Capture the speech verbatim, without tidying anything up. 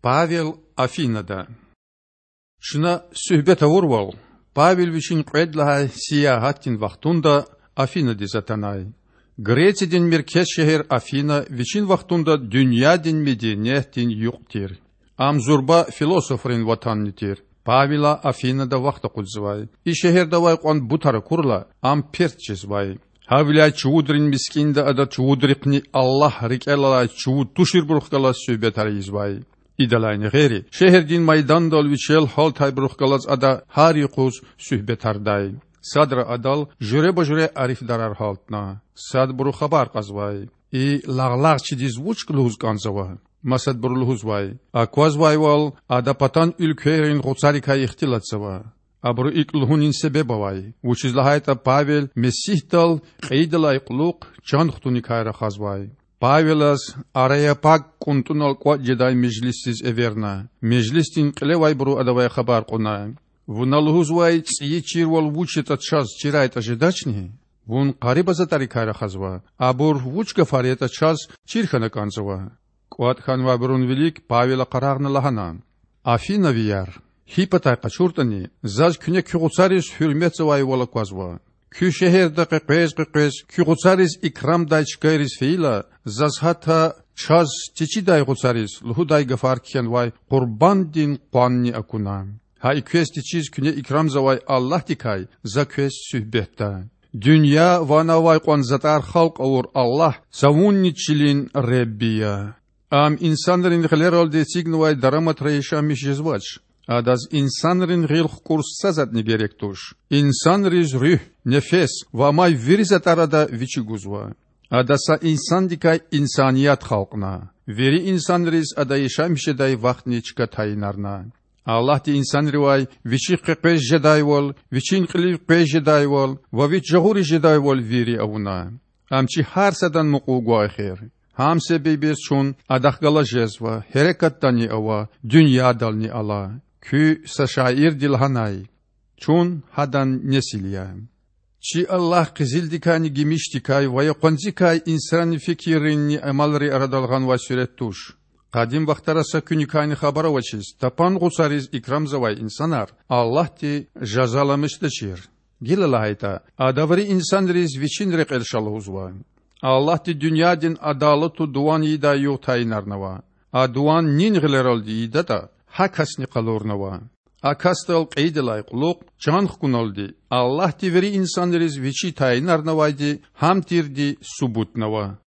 Павел Афинада. Чна суьгьбет авурвал, Павел вичин кьвед лагьай сиягьатдин вахтунда Афинадиз атанай. Грециядин меркез шегьер Афина вичин вахтунда дуьньядин медениятдин юкь тир. Ам зурба философрин ватанни тир. Павела Афинада вахт акъудзавай. И шегьерда авай кьван бутар акурла, ам перт жезвай. Гьавиляй чувудрин мискӀинда ада чувудрихъни Аллагь рикӀелай чувуд туширбурухъ галаз суьгьбетар ийизвай. Идалайни гъейри, шегьердин майдандал вичел гьалтайбурухъ галаз ада гьар юкъуз суьгьбетардай. Садра адал жуьреба-жуьре арифдарар гьалтна. Садбуру хабар кьазвай: И лагълагъчидиз вуч лугьуз кӀанзава? Масадбуру лугьузвай: Аквазвайвал, ада патан уьлквейрин гъуцарикай ихтилатзава. Абуру икӀ лугьунин себеб авай, вучиз лагьайтӀа Павел Месигьдал кьейидалай кьулухъ чан хтуникай рахазвай. Павелаз Ареопаг кӀунтӀунал кӀватӀ жедай межлисдиз эверна. Межлисдин кьилевайбуру адавай хабар кьуна: Вуна лугьузвай цӀийи чирвал вуч ятӀа чаз чирайтӀа жедачни? Вун къариба затӀарикай рахазва, абур вуч гафар ятӀа чаз чир хьана кӀанзава. КӀватӀ хьанвайбурун вилик Павела къарагъна лагьана: Афинавияр, гьи патай къачуртӀани, заз куьне куь гъуцариз гьуьрметзавайвал аквазва. Куь шегьерда къекъвез-къекъвез куь гъуцариз икрамдай чкайриз фейила, заз гьатта чаз течидай гъуцариз лугьудай гафар кхьенвай къурбанддин къванни акуна. Гьа и квез течиз куьне икрамзавай Аллагьдикай за квез суьгьбетда. Дуьнья ва ана авай кьван затӀар халкь авур Аллагь цавунни чилин Худа я. Ам инсанрин гъилералди эцигнавай дараматра яшамиш жезвач. Адаз инсанрин гъил хкӀур са затӀни герек туш. Инсанриз руьгь, нефес ва амай вири затӀар Ада Вичи гузва. Ада са инсандикай инсаният халкьна. Вири инсанриз ада яшамиш жедай вахтни чка тайинарна. Аллагьди инсанривай Вичихъ къекъвез жедайвал, Вичин кьилив къвез жедайвал ва Вич жагъуриз жедайвал вири авуна. Ам чи гьар садан мукьув гвай хьи, гьам себебиз чун Адахъ галаз жезва, гьерекатдани ава, дуьньядални ала. Куь са шаирди лагьанай: Чун Гьадан несил я. Чи Аллагь къизилдикайни гимишдикай ва я къванцикай инсанрин фикирринни амалрин арадал гъанвай суьрет туш. Къадим вахтара са куьникайни хабар авачиз тапан гъуцариз икрамзавай инсанар Аллагьди жазаламишдачир. Гила лагьайтӀа, Ада вири инсанриз Вичин рекьел ша лугьузва. Аллагьди дуьньядин адалатлу дуван ийидай югъ тайинарнава. А дуван нин гъилералди ийидатӀа, гьа касни къалурнава. А касдал кьейидалай кьулухъ чан хкуналди Аллагьди вири инсанриз Вичи тайинарнавайди гьам тирди субутнава.